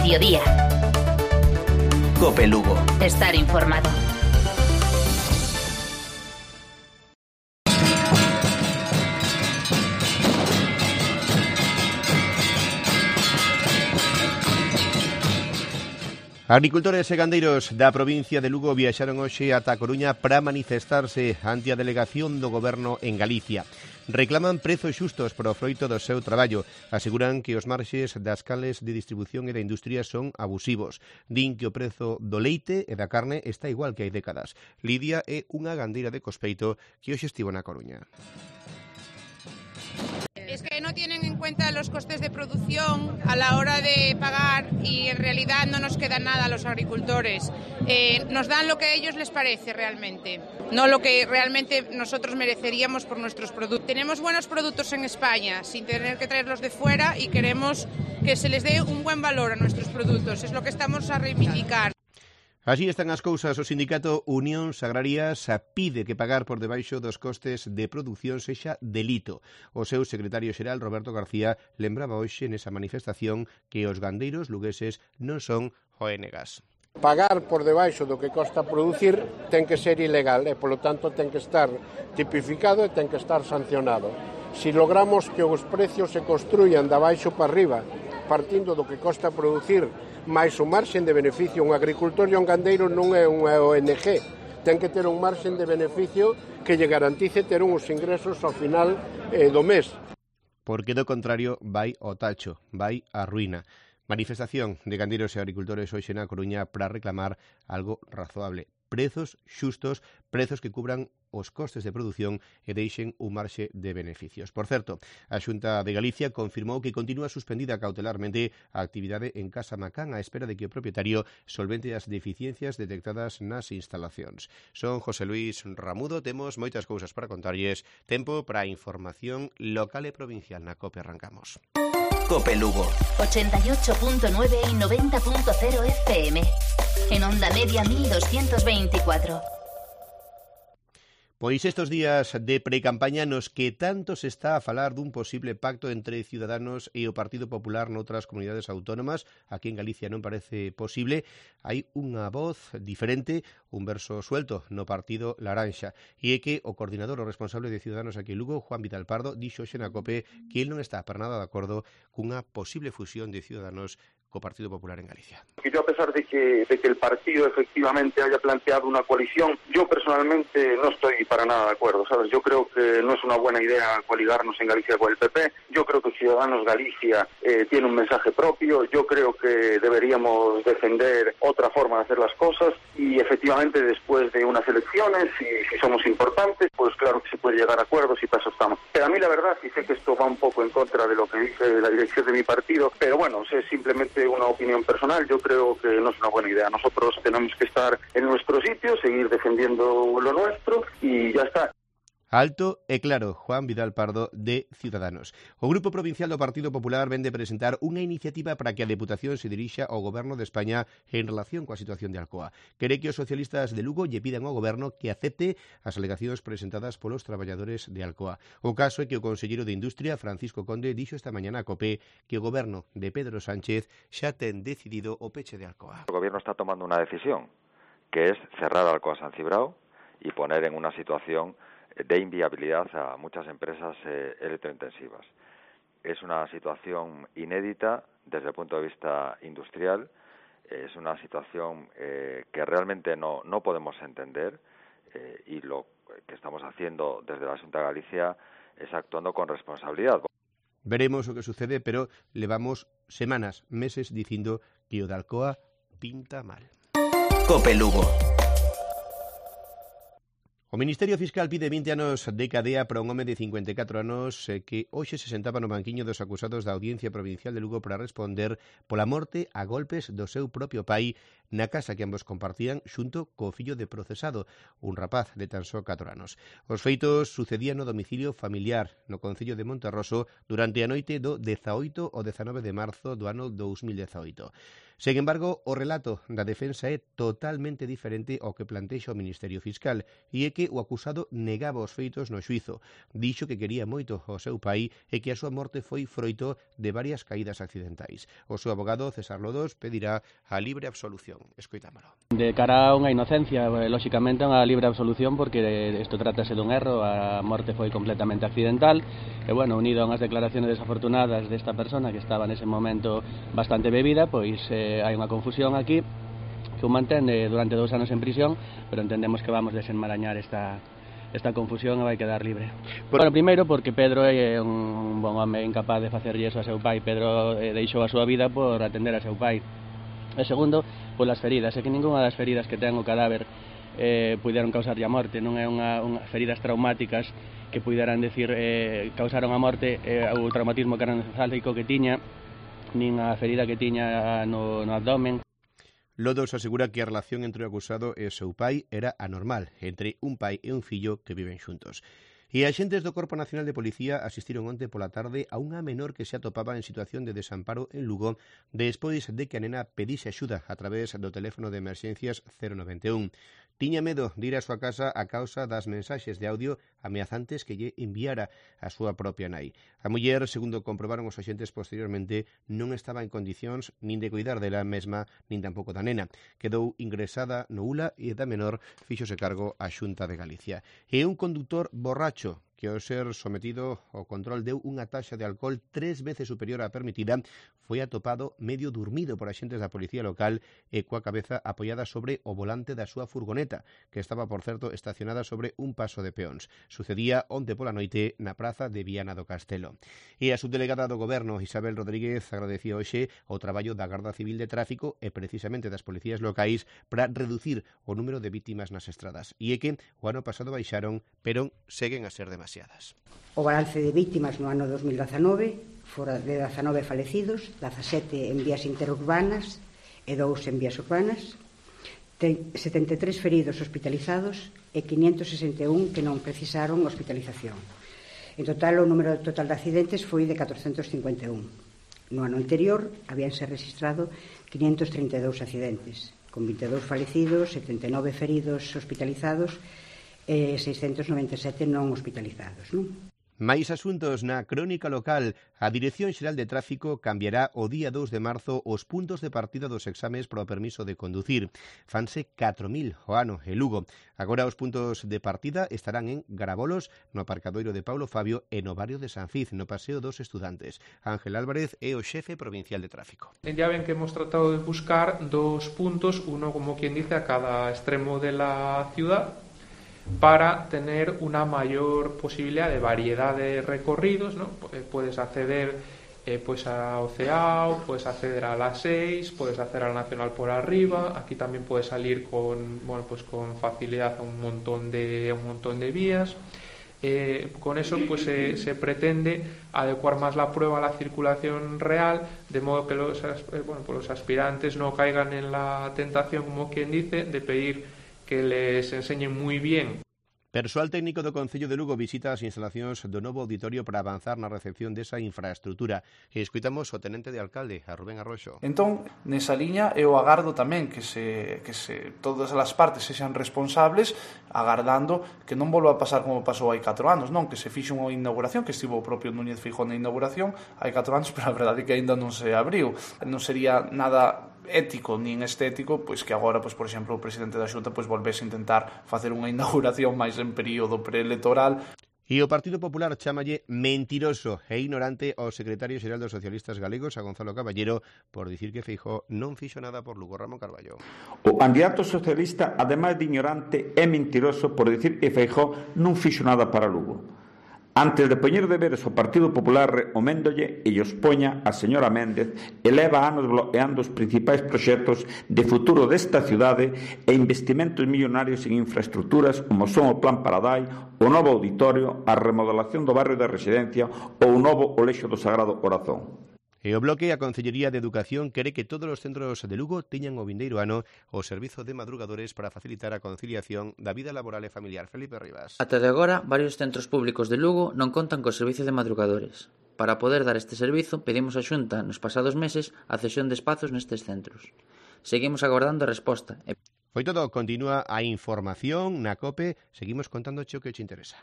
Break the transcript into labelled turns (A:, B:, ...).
A: mediodía.
B: COPE Lugo.
A: Estar informado.
C: Agricultores e gandeiros da provincia de Lugo viaxaron hoxe ata a Coruña para manifestarse ante a delegación do Goberno en Galicia. Reclaman prezos xustos para o froito do seu traballo. Aseguran que os marxes das cales de distribución e da industria son abusivos. Din que o prezo do leite e da carne está igual que hai décadas. Lidia é unha gandeira de Cospeito que hoxe estivo na Coruña.
D: Es que no tienen en cuenta los costes de producción a la hora de pagar y en realidad no nos queda nada a los agricultores. Nos dan lo que a ellos les parece realmente, no lo que realmente nosotros mereceríamos por nuestros productos. Tenemos buenos productos en España sin tener que traerlos de fuera y queremos que se les dé un buen valor a nuestros productos. Es lo que estamos a reivindicar.
C: Así están as cousas. O sindicato Unións Agrarias pide que pagar por debaixo dos costes de produción sexa delito. O seu secretario xeral, Roberto García, lembraba hoxe nesa manifestación que os gandeiros lugueses non son ONGs.
E: Pagar por debaixo do que costa producir ten que ser ilegal e, polo tanto, ten que estar tipificado e ten que estar sancionado. Si logramos que os precios se construyan de abaixo para arriba, partindo do que costa producir, máis o marxen de beneficio, un agricultor e un gandeiro non é unha ONG, ten que ter un marxen de beneficio que lle garantice ter uns ingresos ao final do mes.
C: Porque do contrario vai ao tacho, vai á ruína. Manifestación de gandeiros e agricultores hoxe na Coruña para reclamar algo razoable. Prezos xustos, prezos que cubran os costes de produción e deixen un marxe de beneficios. Por certo, a Xunta de Galicia confirmou que continúa suspendida cautelarmente a actividade en Casa Macán á espera de que o propietario solvente as deficiencias detectadas nas instalacións. Son José Luis Ramudo, temos moitas cousas para contarlles. Tempo para a información local e provincial na COPE. Arrancamos.
B: COPE Lugo.
A: 88.9 y 90.0 FM. En onda media 1224.
C: Pois estes días de precampaña nos que tanto se está a falar dun posible pacto entre Ciudadanos e o Partido Popular noutras comunidades autónomas, aquí en Galicia non parece posible, hai unha voz diferente, un verso suelto no Partido Laranxa, e é que o coordinador o responsable de Ciudadanos aquí en Lugo, Juan Vidal Pardo, dixo hoxe na COPE que el non está para nada de acordo cunha posible fusión de Ciudadanos co Partido Popular en Galicia.
F: Yo, a pesar de que el partido efectivamente haya planteado una coalición, yo personalmente no estoy para nada de acuerdo, ¿sabes? Yo creo que no es una buena idea coaligarnos en Galicia con el PP. Yo creo que Ciudadanos Galicia tiene un mensaje propio. Yo creo que deberíamos defender otra forma de hacer las cosas y efectivamente después de unas elecciones, si somos importantes, pues claro que se puede llegar a acuerdos y para eso estamos. Pero a mí la verdad, y sé que esto va un poco en contra de lo que dice la dirección de mi partido, pero bueno, es simplemente una opinión personal. Yo creo que no es una buena idea. Nosotros tenemos que estar en nuestro sitio, seguir defendiendo lo nuestro y ya está.
C: Alto e claro, Juan Vidal Pardo de Ciudadanos. O Grupo Provincial do Partido Popular vende presentar unha iniciativa para que a Deputación se dirixa ao Goberno de España en relación coa situación de Alcoa. Quere que os socialistas de Lugo lle pidan ao Goberno que acepte as alegacións presentadas polos traballadores de Alcoa. O caso é que o conselleiro de Industria, Francisco Conde, dixo esta mañana a COPE que o Goberno de Pedro Sánchez xa ten decidido o peche de Alcoa.
G: O Gobierno está tomando unha decisión, que es cerrar Alcoa San Cibrao y poner en una situación de inviabilidad a muchas empresas electrointensivas. Es una situación inédita desde el punto de vista industrial, es una situación que realmente no podemos entender y lo que estamos haciendo desde la Xunta de Galicia es actuando con responsabilidad.
C: Veremos o que sucede, pero levamos semanas, meses dicindo que o de Alcoa pinta mal.
B: COPE Lugo.
C: O Ministerio Fiscal pide 20 anos de cadea para un home de 54 anos que hoxe se sentaba no banquiño dos acusados da Audiencia Provincial de Lugo para responder pola morte a golpes do seu propio pai na casa que ambos compartían xunto co fillo de procesado, un rapaz de tan só 4 anos. Os feitos sucedían no domicilio familiar no concello de Monterroso durante a noite do 18 ao 19 de marzo do ano 2018. Sen embargo, o relato da defensa é totalmente diferente ao que plantexa o Ministerio Fiscal e é que o acusado negaba os feitos no xuizo. Dixo que quería moito ao seu pai e que a súa morte foi froito de varias caídas accidentais. O seu abogado, César Lodos, pedirá a libre absolución. Escoitámolo.
H: De cara a unha inocencia, lóxicamente unha libre absolución porque isto trátase dun erro, a morte foi completamente accidental e, bueno, unido a unhas declaraciones desafortunadas desta persona que estaba nese momento bastante bebida, pois hai unha confusión aquí que o mantén durante 2 anos en prisión, pero entendemos que vamos desenmarañar esta confusión e vai quedar libre. Bueno, primeiro porque Pedro é un bon home incapaz de facerlle iso a seu pai. Pedro deixou a súa vida por atender a seu pai. E segundo, polas feridas, é que ninguna das feridas que ten o cadáver puderon causarlle a morte, non é unha feridas traumáticas que puderan decir causaron a morte o traumatismo craneoencefálico que tiña, nin a ferida que tiña no abdomen.
C: Lodos asegura que a relación entre o acusado e o seu pai era anormal, entre un pai e un fillo que viven xuntos. E axentes do Corpo Nacional de Policía asistiron onte pola tarde a unha menor que se atopaba en situación de desamparo en Lugo despois de que a nena pedise axuda a través do teléfono de emerxencias 091. Tiña medo de ir á súa casa a causa das mensaxes de audio ameazantes que lle enviara a súa propia nai. A muller, segundo comprobaron os axentes posteriormente, non estaba en condicións nin de cuidar dela mesma, nin tampouco da nena. Quedou ingresada no ULA e da menor fíxose cargo a Xunta de Galicia. E un conductor borracho que ao ser sometido ao control deu unha taxa de alcohol 3 veces superior á permitida, foi atopado medio dormido por axentes da policía local e coa cabeza apoiada sobre o volante da súa furgoneta, que estaba, por certo, estacionada sobre un paso de peóns. Sucedía onte pola noite na praza de Viana do Castelo. E a subdelegada do Goberno, Isabel Rodríguez, agradecía hoxe o traballo da Garda Civil de Tráfico e precisamente das policías locais para reducir o número de vítimas nas estradas. E é que o ano pasado baixaron, pero seguen a ser demasiadas.
I: O balance de vítimas no ano 2019 fora de 19 falecidos, 17 en vías interurbanas e 2 en vías urbanas, 73 feridos hospitalizados e 561 que non precisaron hospitalización. En total, o número total de accidentes foi de 451. No ano anterior, habíanse registrado 532 accidentes, con 22 falecidos, 79 feridos hospitalizados e 697 non hospitalizados, non?
C: Mais asuntos na crónica local. A Dirección Xeral de Tráfico cambiará o día 2 de marzo os puntos de partida dos exames para o permiso de conducir. Fanse 4.000 o ano en Lugo. Agora os puntos de partida estarán en Garabolos, no aparcadoiro de Paulo Fabio e no barrio de San Fiz, no Paseo dos Estudantes. Ángel Álvarez é o xefe provincial de tráfico.
J: Ya ven que hemos tratado de buscar 2 puntos, uno como quien dice a cada extremo de la ciudad, para tener una mayor posibilidad de variedad de recorridos, ¿no? Puedes acceder pues a Oceao, puedes acceder a la 6, puedes hacer a la Nacional por arriba, aquí también puedes salir con con facilidad a un montón de vías. Con eso pues se pretende adecuar más la prueba a la circulación real, de modo que los aspirantes no caigan en la tentación, como quien dice, de pedir que les enseñen moi bien.
C: Persoal técnico do Concello de Lugo visita as instalacións do novo auditorio para avanzar na recepción desa infraestrutura. E escuitamos o tenente de alcalde, a Rubén Arroxo.
K: Entón, nesa liña, eu agardo tamén que todas as partes sexan responsables, agardando que non volva a pasar como pasou hai 4 anos, non? Que se fixo unha inauguración, que estivo o propio Núñez Feijóo na inauguración hai 4 anos, pero a verdade é que aínda non se abriu. Non sería nada ético nin estético, pois que agora, pois por exemplo, o presidente da Xunta pois volvese a intentar facer unha inauguración máis en período preelectoral.
C: E o Partido Popular chámalle mentiroso e ignorante ao secretario xeral dos socialistas galegos, a Gonzalo Caballero, por dicir que Feijóo non fixo nada por Lugo. Ramón Carballo.
L: O candidato socialista, ademais de ignorante, é mentiroso por dicir que Feijóo non fixo nada para Lugo. Antes de poñer deberes ao Partido Popular, recoméndolle e os poña a señora Méndez e leva anos bloqueando os principais proxectos de futuro desta cidade e investimentos millonarios en infraestructuras como son o Plan Paradai, o novo auditorio, a remodelación do barrio de residencia ou o novo Colexio do Sagrado Corazón.
C: E o Bloque, a Consellería de Educación, quere que todos os centros de Lugo teñan o vindeiro ano o servizo de madrugadores para facilitar a conciliación da vida laboral e familiar. Felipe Rivas.
M: Ata de agora, varios centros públicos de Lugo non contan co servizo de madrugadores. Para poder dar este servizo, pedimos a Xunta nos pasados meses a cesión de espazos nestes centros. Seguimos agardando a resposta.
C: Foi todo, continúa a información na COPE, seguimos contándoche o que te interesa.